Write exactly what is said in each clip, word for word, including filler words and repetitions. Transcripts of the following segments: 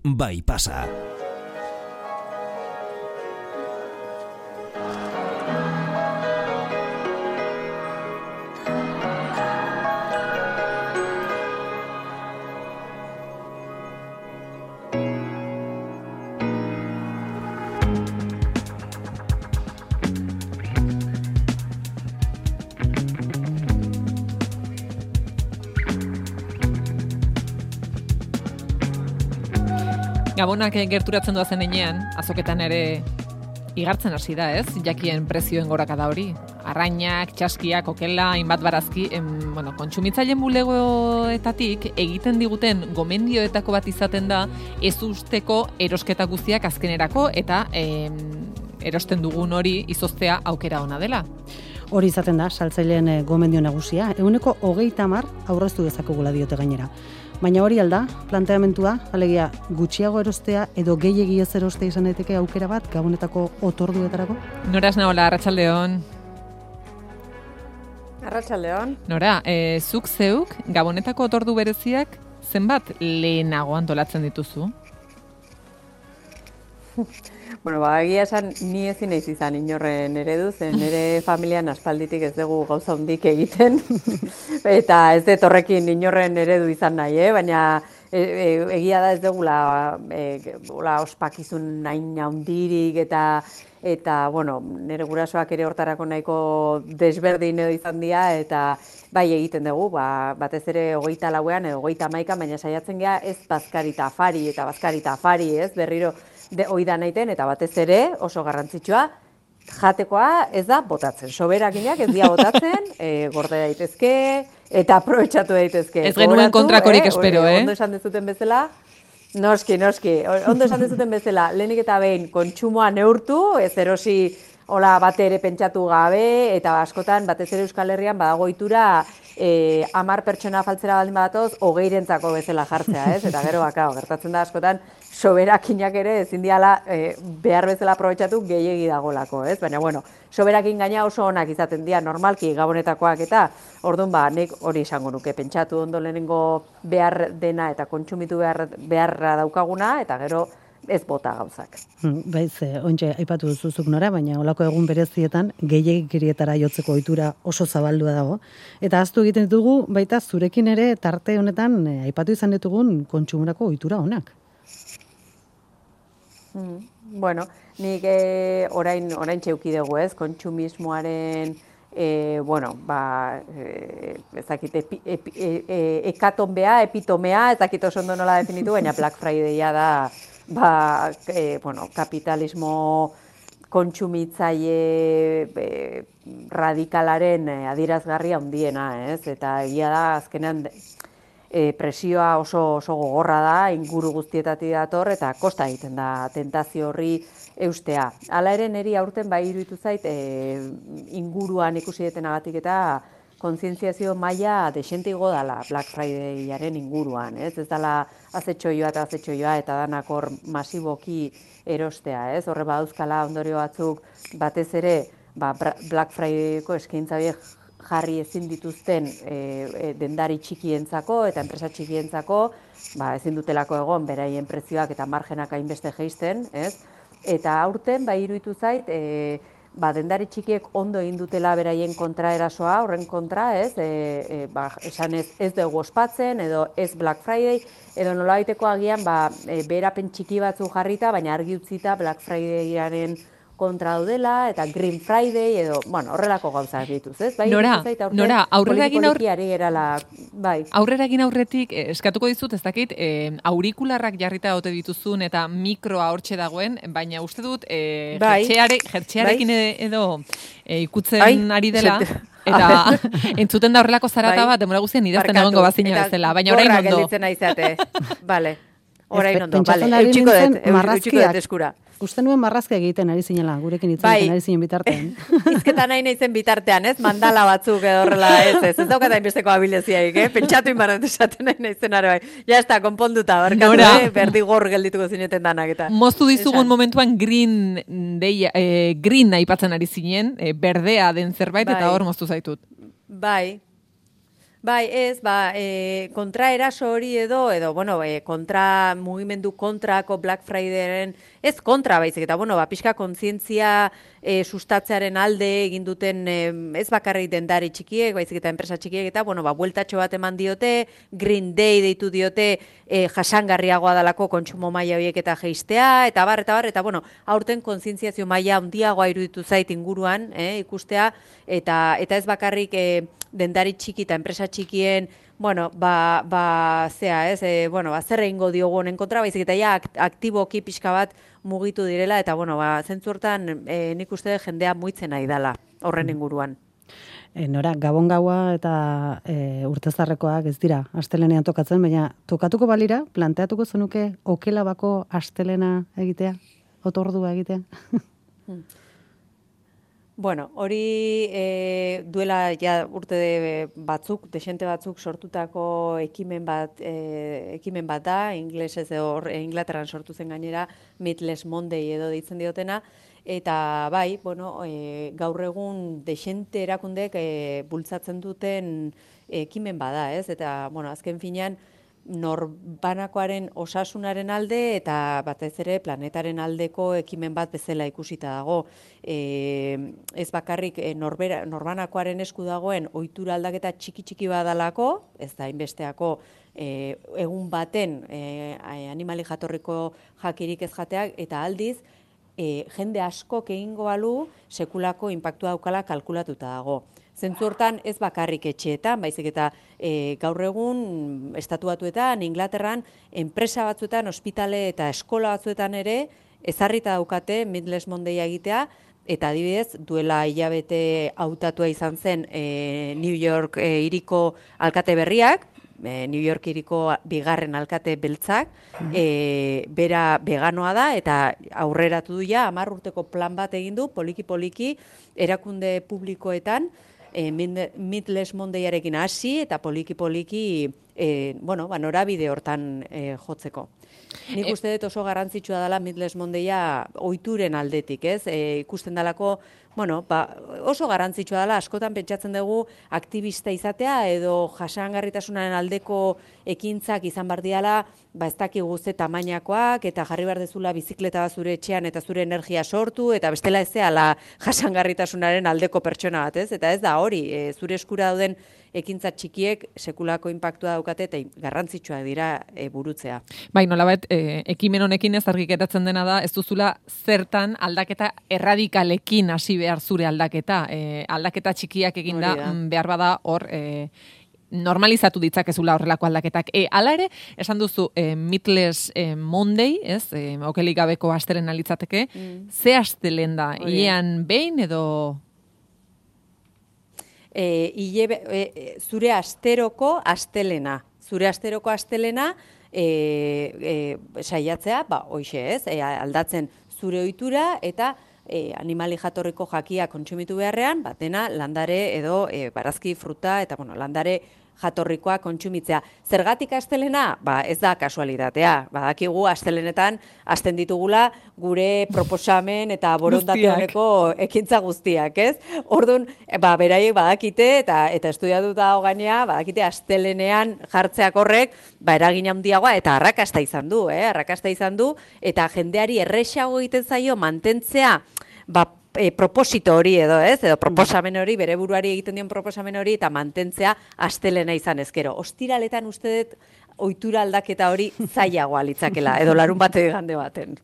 bai pasa. Gabonak gerturatzen doazen enean, azoketan ere igartzen hasi da, ez? Jakien prezioen gorakada hori. Arrainak, txaskiak, okela, hainbat barazki, em, bueno, kontsumitzaileen bulegoetatik egiten diguten gomendioetako bat izaten da ez usteko erosketa guztiak azkenerako eta em, erosten dugun hori izoztea aukera ona dela. Hori izaten da, saltzaileen gomendio nagusia, ehuneko hogeita hamar aurreztu dezakegula diote gainera. Baina hori alda, planteamentua, alegia gutxiago erostea edo gehiegi ez erostea izan daiteke aukera bat gabonetako otorduetarako? Nora esnaola, arratsaldeon. Arratsaldeon. Nora, e, zuk zeuk gabonetako otordu bereziak zenbat lehenago antolatzen dituzu? Bueno, ba, egia esan ni ezin naiz izan inorren eredu, zen nire familian aspalditik ez dugu gauza hundik egiten, eta ez dut horrekin inorren eredu izan nahi, eh? Baina e, e, egia da ez dugula e, ospakizun nahin handirik, eta, eta bueno, nire gurasoak ere hortarako nahiko desberdin edo izan dira, eta bai egiten dugu, ba, batez ere hogeita lauean edo hogeita hamaikan, baina saiatzen gea ez bazkarita afari eta bazkarita afari, ez, berriro de oida naiten, eta batez ere oso garrantzitsua, jatekoa ez da botatzen. Soberakinak ez dira botatzen, e, gorde daitezke, eta aprobetxatu daitezke. Ez genuen kontrakorik eh? espero, eh? Ondo esan dezuten bezala, noski, noski, ondo esan dezuten bezala, lehenik eta behin kontsumoa neurtu, ez erosi hola bate ere pentsatu gabe, eta askotan, batez ere Euskal Herrian badago ohitura e, hamar pertsona faltzera baldin badatoz, hogeirentzako bezala jartzea, ez? Eta gero bakao, gertatzen da askotan, soberakinak ere ezin diala e, behar bezala aprobetxatu gehiegi dagolako, ez? Baina, bueno, soberakin gaina oso onak izaten dira normalki gabonetakoak eta orduan ba, nik hori esango nuke, pentsatu ondo lehenengo behar dena eta kontsumitu behar, beharra daukaguna, eta gero ez bota gauzak. Baiz, ontxe, aipatu duzuzuk Nora, baina olako egun berezietan gehiegikerietara jotzeko ohitura oso zabaldua dago. Eta ahaztu egiten ditugu, baita zurekin ere tarte honetan aipatu izan ditugun kontsumorako ohitura onak. Mm, bueno, nik eh, orain, orain txeuki dugu ez, kontsumismoaren, eh, bueno, ba, eh, ezakit, epi, epi, e, e, ekatonbea, epitomea, ezakit oso ondo nola definitu, baina Black Fridaya da, ba, eh, bueno, kapitalismo kontsumitzaile eh, radikalaren eh, adierazgarria handiena, ez, eta egia da azkenean, E, presioa oso, oso gogorra da, inguru guztietatik dator, eta kosta egiten da tentazio horri eustea. Hala ere niri aurten bai iruditu zait, e, inguruan ikusi detenagatik eta kontzientziazio maila desente igo dala Black Fridayaren inguruan, ez? Ez dala azetxoioa eta azetxoioa eta danak hor masiboki erostea, ez? Horre badauzkala ondorio batzuk batez ere, ba, Black Fridayko eskaintza horiek jarri ezin dituzten e, e, dendari txikientzako eta enpresa txikientzako, ba, ezin dutelako egon beraien prezioak eta margenak hainbeste jeisten, ez? Eta aurten bai iruditu zait, e, ba, dendari txikiek ondo egin dutela beraien kontraerasoa, horren kontra, ez? E, e, ba, esan ez, ez dugu ospatzen, edo ez Black Friday, edo nolabaiteko agian, ba, e, beherapen txiki batzu jarrita, baina argi utzita Black Fridayaren kontra daudela, eta Green Friday, edo, bueno, horrelako gauzak dituz, ez? Bai, Nora, Nora, aurrera egin aur... gerala, bai. Aurrera egin aurretik, eh, eskatuko dizut, ez dakit, eh, aurikularrak jarrita ote dituzun, eta mikroa hortxe dagoen, baina uste dut, eh, bai. jertxeare, jertxearekin bai. edo eh, ikutzen Ai, ari dela, eta entzuten da horrelako zarata bai. bat, demora guztien idazten egongo bazina bezala, baina orain ondo. Gorra gelditzen aizate, bale. Orain ondo, bale, eutxiko dut, eutxiko dut eskura. Uste nuen marrazka egiten ari zinela, gurekin hitz egiten ari zinen bitartean. Izketa nahi nahizen bitartean, ez? Mandala batzuk edo horrela, ez, ez. Ez daukat hainbesteko habiliziaik, eh? Pentsatu inbarret esaten nahi nahizen ara bai. Ja, ez da, konponduta, barkatu, eh? Berdi gor geldituko zineten danak eta. Moztu dizugun esan. Momentuan green, deia, eh, green aipatzen ari zinen, eh, berdea den zerbait, bai. Eta hor moztu zaitut. Bai. Bai, ez, ba, e, kontra eraso hori edo, edo, bueno, e, kontra, mugimendu kontrako Black Fridayren, ez kontra baizik, eta, bueno, ba, pixka kontzientzia e, sustatzearen alde egin duten, e, ez bakarrik dendari txikiek, baizik eta enpresa txikiek, eta, bueno, ba, bueltatxo bat eman diote, Green Day deitu diote, e, jasangarriagoa dalako kontsumo maila horiek eta jeistea, eta bar, eta bar, eta, bueno, aurten kontzientziazio maila handiagoa iruditu zait inguruan, e, ikustea, eta, eta ez bakarrik, e, dendari txiki eta enpresa txikien, bueno, ba, ba zea, ez, e, bueno, ba, zer egingo diogu honen kontra, baizik eta ja aktiboki pixka bat mugitu direla, eta, bueno, ba, zentzu hortan e, nik uste jendea muitzen nahi dela horren inguruan. E, Nora, Gabon gaua eta e, urtezarrekoak ez dira astelenean tokatzen, baina tokatuko balira, planteatuko zenuke okela bako astelena egitea, otordua egitea? Hmm. Bueno, hori e, duela ja urte batzuk, desente batzuk sortutako ekimen bat, e, ekimen bat da, inglesez hor Inglaterran sortu zen gainera, Meatless Monday edo deitzen diotena, eta bai, bueno, e, gaur egun desente erakundek e, bultzatzen duten ekimen bada, ez? Eta, bueno, azken finean, norbanakoaren osasunaren alde eta batez ere planetaren aldeko ekimen bat bezala ikusita dago. E, ez bakarrik e, norbera, norbanakoaren esku dagoen ohitura aldaketa txiki txiki badalako, ez da inbesteako e, egun baten e, animali jatorriko jakirik ez jateak, eta aldiz e, jende askok egingo balu sekulako inpaktua daukala kalkulatuta dago. Zentzu hortan ez bakarrik etxeetan, baizik eta e, gaur egun estatu batuetan, Inglaterran, enpresa batzuetan, ospitale eta eskola batzuetan ere, ezarrita daukate Meatless Monday egitea, eta adibidez, duela hilabete hautatua izan zen e, New York e, hiriko alkate berriak, e, New York hiriko bigarren alkate beltzak, e, bera veganoa da, eta aurreratu du ja, hamar urteko plan bat egin du, poliki-poliki, erakunde publikoetan, E, Meatless Mondayarekin hasi eta poliki-poliki e, bueno, ba, norabide hortan e, jotzeko. Nik uste dut oso garrantzitsua dela Meatless Mondaya ohituren aldetik, ez? E, ikusten dalako, bueno, ba, oso garrantzitsua dela, askotan pentsatzen dugu aktivista izatea edo jasangarritasunaren aldeko ekintzak izan bar diala, ba ez dakigu ze tamainakoak eta jarri behar dezula bizikleta bat zure etxean eta zure energia sortu eta bestela ez zehala jasangarritasunaren aldeko pertsona bat, ez? Eta ez da hori, e, zure eskura dauden ekintza txikiek sekulako inpaktua daukate eta garrantzitsua dira e, burutzea. Bai, nolabait, e, ekimen honekin ez argiketatzen dena da, ez duzula zertan aldaketa erradikalekin hasi behar zure aldaketa. E, aldaketa txikiak eginda behar bada hor e, normalizatu ditzakezula horrelako aldaketak. E, ala ere, esan duzu, e, Meatless e, Monday, ez, e, okelik gabeko astelena litzateke, mm. ze astelen da, hilean behin edo... E, ile, e, zure asteroko astelena. Zure asteroko astelena e, e, saiatzea, ba, hoixe ez, e, aldatzen zure ohitura eta e, animali jatorriko jakia kontsumitu beharrean, ba, dena landare edo e, barazki, fruta eta bueno, landare jatorrikoa kontsumitzea. Zergatik astelena? Ba, ez da kasualitatea. Badakigu astelenetan hasten ditugula gure proposamen eta borondate honeko ekintza guztiak, ez? Orduan, ba, beraiek badakite eta eta estudiatuta dago gainea, badakite astelenean jartzeak horrek, ba, eragin handiagoa eta arrakasta izan du, eh? Arrakasta izan du eta jendeari erresago egiten zaio mantentzea, ba, E, proposito hori edo, ez, edo proposamen hori, bere buruari egiten dion proposamen hori, eta mantentzea astelena izan ezkero. Ostiraletan uste dut ohitura aldaketa hori zailagoa litzakela, edo larun bate igande baten.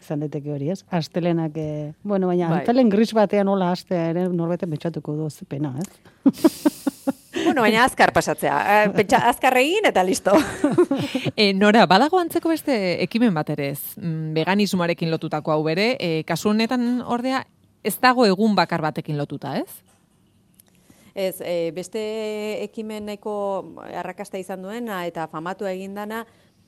Izan daiteke hori, ez? Astelenak, eh, bueno, baina bai. Antelen gris batean hola astea ere norbeten betxatuko du, pena, ez? Bueno, baina azkar pasatzea. Pentsa, azkar egin eta listo. e, Nora, badago antzeko beste ekimen bat ere ez? Veganismoarekin lotutako hau bere, e, kasu honetan ordea ez dago egun bakar batekin lotuta, ez? Ez, e, beste ekimeneko arrakasta izan duena eta famatu egindana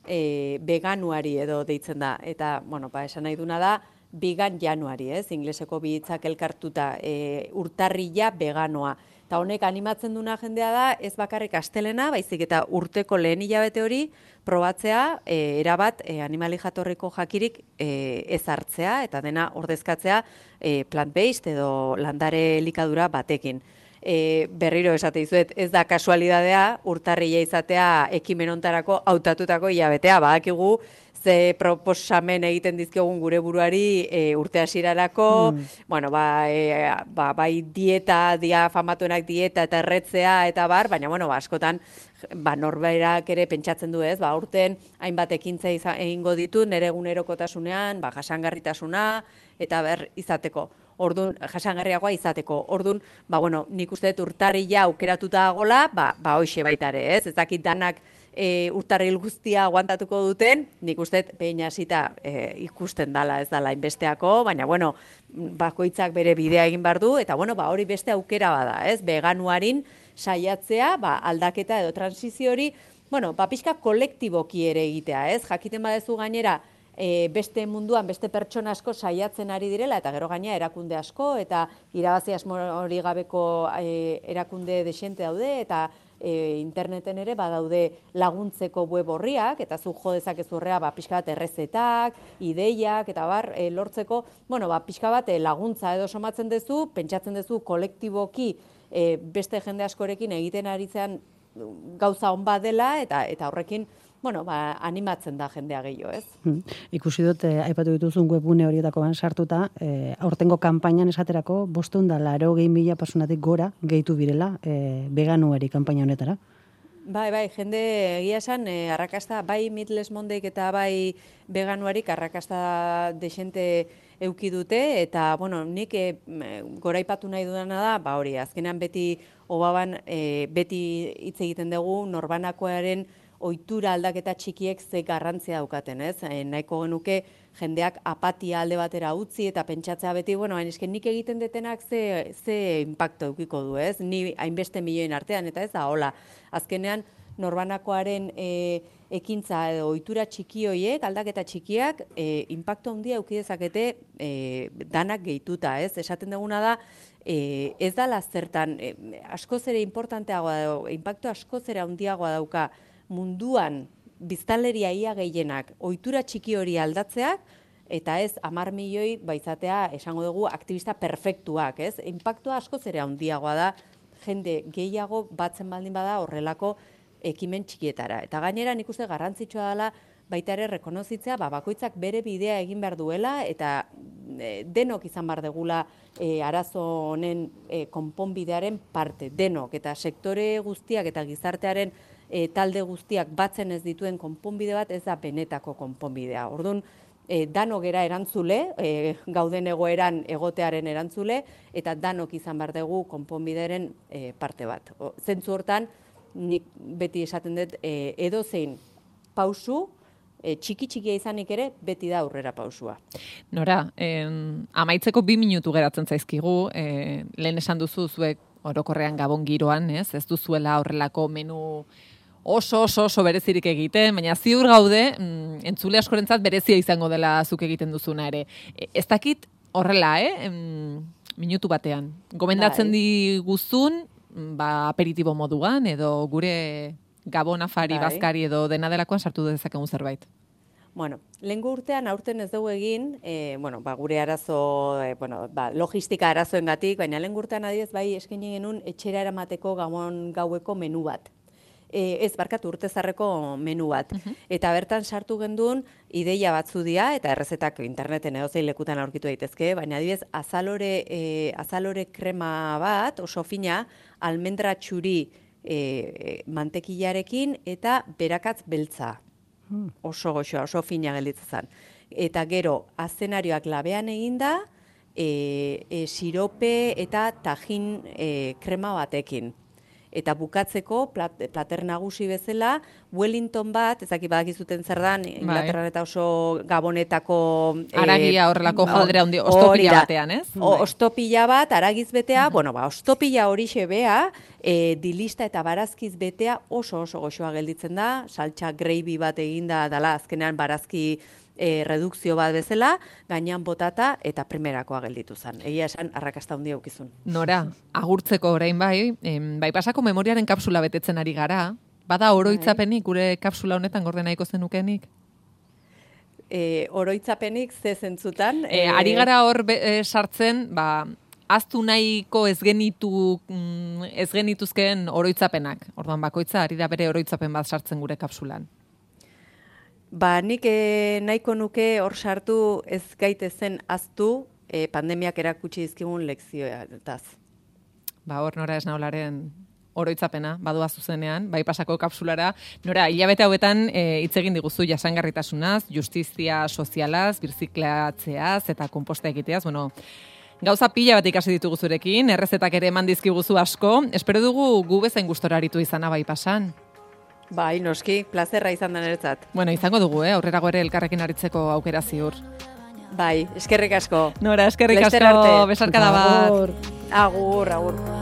e, veganuari edo deitzen da. Eta, bueno, ba, esan nahi duna da, vegan januari, ez? Ingleseko bi hitzak elkartuta, e, urtarrila veganoa. Eta honek animatzen duna jendea da, ez bakarrik astelena, baizik eta urteko lehen hilabete hori probatzea, e, erabat e, animali jatorriko jakirik e, ez hartzea, eta dena ordezkatzea e, plant-based edo landare elikadura batekin. e, berriro esate dizuet, ez da kasualidadea urtarrila izatea ekimen hontarako hautatutako hilabetea, badakigu ze proposamen egiten dizkiogun gure buruari e, urte hasierarako, mm. bueno, ba, e, ba, bai dieta, dia famatuenak dieta eta erretzea eta bar, baina bueno, ba, askotan ba, norberak ere pentsatzen du ez, ba, urten hainbat ekintza egingo ditu nere egunerokotasunean, ba, jasangarritasuna eta ber izateko. Ordun jasangarriagoa izateko. Ordun, ba bueno, nik uste dut urtarrila aukeratuta dagoela, ba ba hoixe baita ere, ez? Ez dakit danak e, urtarril guztia aguantatuko duten, nik uste dut behin hasita e, ikusten dala, ez dala inbesteako, baina bueno, bakoitzak bere bidea egin behar du eta bueno, ba hori beste aukera bada, ez? Veganuarin saiatzea, ba aldaketa edo transizio hori, bueno, ba pixka kolektiboki ere egitea, ez? Jakiten badezu gainera E, beste munduan, beste pertsona asko saiatzen ari direla, eta gero gaina erakunde asko, eta irabazi asmo hori gabeko e, erakunde desente daude, eta e, interneten ere badaude laguntzeko web horriak, eta zu jo dezakezurrea ba, pixka bat errezetak, ideiak, eta bar, e, lortzeko, bueno, ba, pixka bat e, laguntza edo somatzen duzu, pentsatzen duzu kolektiboki e, beste jende askorekin egiten aritzean gauza on bat dela, eta, eta horrekin bueno, ba, animatzen da jendea gehiago, ez? Hmm. Ikusi dut, eh, aipatu dituzun webgune horietako ban sartuta, eh, aurtengo kanpainan esaterako, bostehun eta laurogei mila personatik gora gehitu birela eh, veganuari kanpaina honetara. Bai, bai, jende egia esan, eh, arrakasta, bai Meatless Monday eta bai veganuarik arrakasta desente euki dute, eta, bueno, nik eh, goraipatu nahi dudana da, ba hori, azkenean beti, obaban, eh, beti hitz egiten dugu, norbanakoaren ohitura aldaketa txikiek ze garrantzia daukaten, ez? E, nahiko genuke jendeak apatia alde batera utzi eta pentsatzea beti, bueno, hain eske nik egiten detenak ze, ze impacto eukiko du, ez? Ni hainbeste milioen artean, eta ez da, hola. Azkenean, norbanakoaren e, ekintza edo ohitura txiki hoiek, aldaketa txikiak, e, impacto handia euki dezakete e, danak gehituta, ez? Esaten duguna da, e, ez dala zertan, e, askoz ere importanteagoa dago, impacto askoz ere handiagoa dauka, munduan biztanleria ia gehienak ohitura txiki hori aldatzeak, eta ez hamar milioi baizatea esango dugu aktibista perfektuak, ez? Inpaktua askoz ere handiagoa da, jende gehiago batzen baldin bada horrelako ekimen txikietara. Eta gainera nik uste garrantzitsua dela baita ere rekonozitzea, ba, bakoitzak bere bidea egin behar duela, eta e, denok izan behar degula e, arazo honen e, konponbidearen parte, denok, eta sektore guztiak eta gizartearen E, talde guztiak batzen ez dituen konponbide bat ez da benetako konponbidea. Orduan, e, danok era erantzule, e, gauden egoeran egotearen erantzule, eta danok izan behar dugu konponbideren e, parte bat. O, zentzu hortan, nik beti esaten dut, e, edozein pausu, e, txiki-txikia izanik ere, beti da aurrera pausua. Nora, en, amaitzeko bi minutu geratzen zaizkigu, e, lehen esan duzu zuek orokorrean gabon giroan, ez? Ez duzuela horrelako menu oso, oso, oso berezirik egiten, baina ziur gaude, mm, entzule askorentzat berezia izango dela zuk egiten duzuna ere. E, ez dakit horrela, eh? Mm, minutu batean. Gomendatzen bai. diguzun, ba, aperitibo moduan, edo gure gabon afari, bai. bazkari edo dena delakoan sartu dezakegun zerbait. Bueno, lehengo urtean aurten ez dugu egin, e, bueno, ba, gure arazo, e, bueno, ba, logistika arazoengatik, baina lehengo urtean adibidez bai eskaini genuen etxera eramateko gabon gaueko menu bat. E, ez, barkatu urtezarreko menu bat. Uh-huh. Eta bertan sartu genduen ideia batzu dira, eta errezetak interneten edozein lekutan aurkitu daitezke, baina adibidez azalore, e, azalore krema bat, oso fina, almendra txuri e, mantekilarekin eta berakatz beltza. Hmm. Oso goxoa, oso fina gelditzen zen. Eta gero, azenarioak labean eginda, e, e, sirope eta tajin e, krema batekin. Eta bukatzeko, plat, plater nagusi bezala, Wellington bat, ezaki badakizuten zer dan, Inglaterran eta oso gabonetako... Aragia horrelako e, jaldera handi, ostopila batean, ez? O, ostopila bat, aragiz betea, uh-huh. bueno, ba, ostopila horixe bea, e, dilista eta barazkiz betea oso oso goxoa gelditzen da, saltsa gravy bat eginda dala, azkenean barazki E, redukzio bat bezala, gainean botata eta primerakoa gelditu zen. Egia esan, arrakasta handia aukizun. Nora, agurtzeko orain bai, em, bai pasako memoriaren kapsula betetzen ari gara, bada oroitzapenik gure kapsula honetan gorde nahiko zenukenik? E, oroitzapenik ze zentzutan? E, ari gara hor be, e, sartzen, ba, aztu nahiko ez genitu ez genituzkeen oroitzapenak. Orduan bakoitza ari da bere oroitzapen bat sartzen gure kapsulan. Ba, nik eh, nahiko nuke hor sartu ez gaitezen aztu eh, pandemiak erakutsi dizkigun lekzioetaz. Ba, hor Nora Esnaolaren oroitzapena, badua zuzenean, bai pasako kapsulara. Nora, hilabete hauetan hitz egin diguzu jasangarritasunaz, justizia sozialaz, birziklatzeaz eta konposta egiteaz. Bueno, gauza pila bat ikasi ditugu zurekin, errezetak ere eman dizkiguzu asko. Espero dugu gu bezain gustora aritu izana bai pasan. Bai, noski, plazerra izan da niretzat. Bueno, izango dugu, eh? Aurrerago ere elkarrekin aritzeko aukera ziur. Bai, eskerrik asko. Nora, eskerrik Laster asko, arte. besarkada bat. Agur. Agur, agur.